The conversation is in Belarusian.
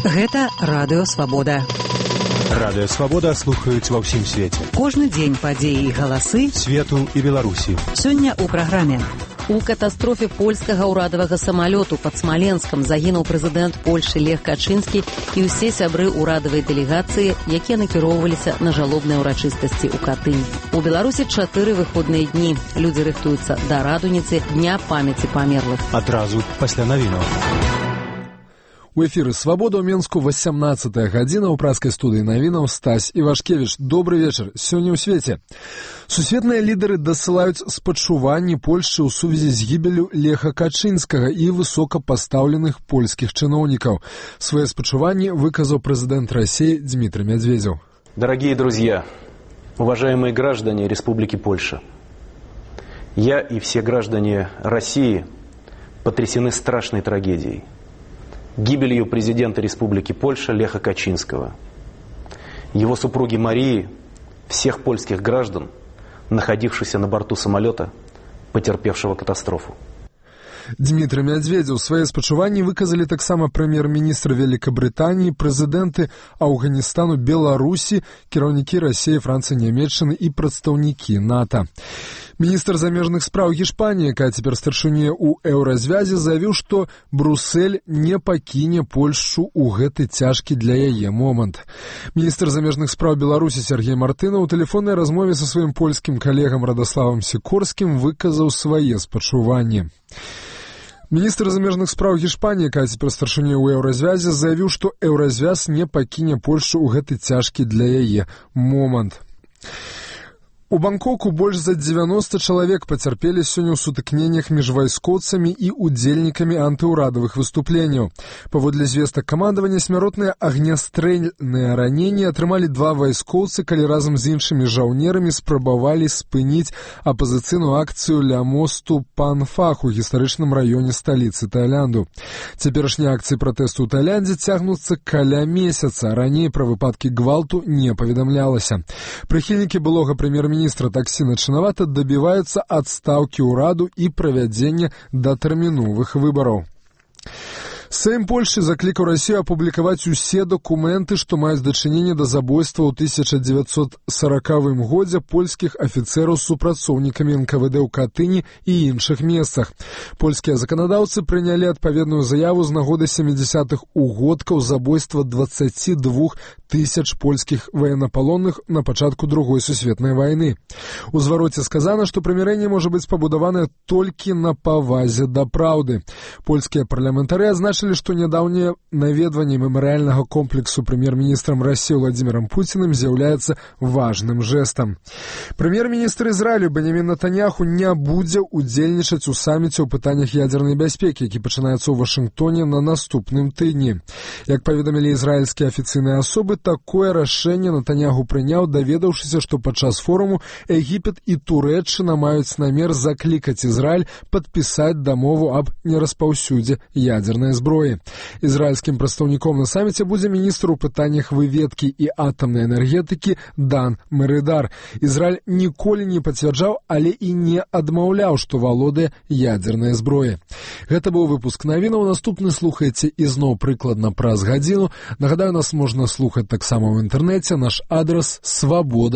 Гэта Радыё Свабода. Радыё Свабода слухаюць ва ўсім свеце. Кожны дзень падзеі і галасы свету і Беларусі. Сёння ў праграме. У катастрофе польскага ўрадавага самалёту пад Смаленскам загінуў прэзідэнт Польшы Лех Качынскі і ўсе сябры ўрадавай дэлегацыі, якія накіроўваліся на жалобныя ўрачыстасці ў Катынь. У Беларусі 4 выходныя дні. Людзі рыхтуюцца да радуніцы Дня памяці памерлых. Адразу пасля навінаў. У эфіры «Свабода» ў Менску 18-я гадзіна. У праскай студыі навінаў Стась Івашкевіч. Добры вечар. Сёння ў свеце. Сусветныя лідары дасылаюць спачуванні Польшчы ў сувязі з гібеллю Леха Качынскага і высокапастаўленых польскіх чыноўнікаў. Свае спачуванні выказаў прэзідэнт России Дмитрий Медведев. Дорогие друзья, уважаемые граждане Республики Польша, я и все граждане России потрясены страшной трагедией. Гибелью президента Республики Польша Леха Качинского, его супруги Марии, всех польских граждан, находившихся на борту самолета, потерпевшего катастрофу. Дмитрий Медведев свае спачуванні выказалі таксама прэм'ер-міністр Великабрытаніі, прэзідэнты Афганістану, Беларусі, кіраўнікі Расіі, Францыі, Нямецчыны і прадстаўнікі НАТО. Міністр замежных спраў Гішпаніі, якая цяпер старшыня ў еўразвязе, заявіў, што Брюссель не пакіне Польшчу ў гэты цяжкі для яе момант. Міністр замежных спраў Беларусі Сергей Мартынаў у тэлефоннай размове са сваім польскім калегам Радославам Сікорскім выказаў свае спачуванні. Міністр замежных спраў Гішпаніі, якая цяпер старшыня ў еўразвязе, заявіў, што еўразвяз не пакіне Польшчу ў гэты цяжкі для яе момант. У Бангкоку больш за 90 чалавек пацярпелі сёння ў сутыкненнях між вайскоўцамі і удзельнікамі антыўрадавых выступленняў. Паводле звестак камандавання, смяротныя агнястрэльныя раненні атрымалі 2 вайскоўцы, калі разам з іншымі жаўнерамі спрабавалі спыніць апазіцыйную акцыю ля мосту Панфах у гістарычным раёне сталіцы Таіланду. Цяперашнія акцыі пратэсту ў Таіландзе цягнуцца каля месяца. Раней пра выпадкі гвалту не паведамлялася. Прыхільнікі былога прэм'ер-міністра Таксіна Чынавата дабіваюцца адстаўкі ўраду і правядзення датэрміновых выбараў. Сейм Польшчы заклікаў Расію апублікаваць усе дакументы, што маюць дачыненне да забойства ў 1940 годзе польскіх афіцэраў з супрацоўнікамі НКВД ў Катыні і іншых месцах. Польскія заканадаўцы прынялі адпаведную заяву з нагоды 70-х угодкаў забойства 22 тысяч польскіх ваеннапалонных на пачатку Другой сусветнай вайны. У звароце сказана, што прымірэнне можа быць пабудаванае толькі на павазе да праўды. Польскія парламентары адзначылі, што нядаўняе наведванне мемарыяльнага комплексу прэм'ер-міністрам Расіі Владзімірам Пуціным з'яўляецца важным жэстам. Прэм'ер-міністр Ізраілю Бенямін Нетаньяху не будзе ўдзельнічаць у саміце ў пытаннях ядзернай бяспекі, які пачынаецца ў Вашынгтоне на наступным тыдні. Як паведамілі ізраільскія афіцыйныя асобы, такое рашэнне Нетаньяху прыняў, даведаўшыся, што падчас форуму Егіпет і Турэччына маюць намер заклікаць Ізраіль падпісаць дамову аб нераспаўсюдзе ядзернай зброі. Ізраільскім прадстаўніком на саміце будзе міністр у пытаннях выведкі і атамнай энергетыкі Дан Мерыдар. Ізраіль ніколі не пацвярджаў, але і не адмаўляў, што валодае ядзернай зброі. Гэта быў выпуск навінаў. Наступны слухайце ізноў прыкладна праз гадзіну. Нагадаю, нас можна слухаць таксама ў інтэрнэце. Наш адрас свабода.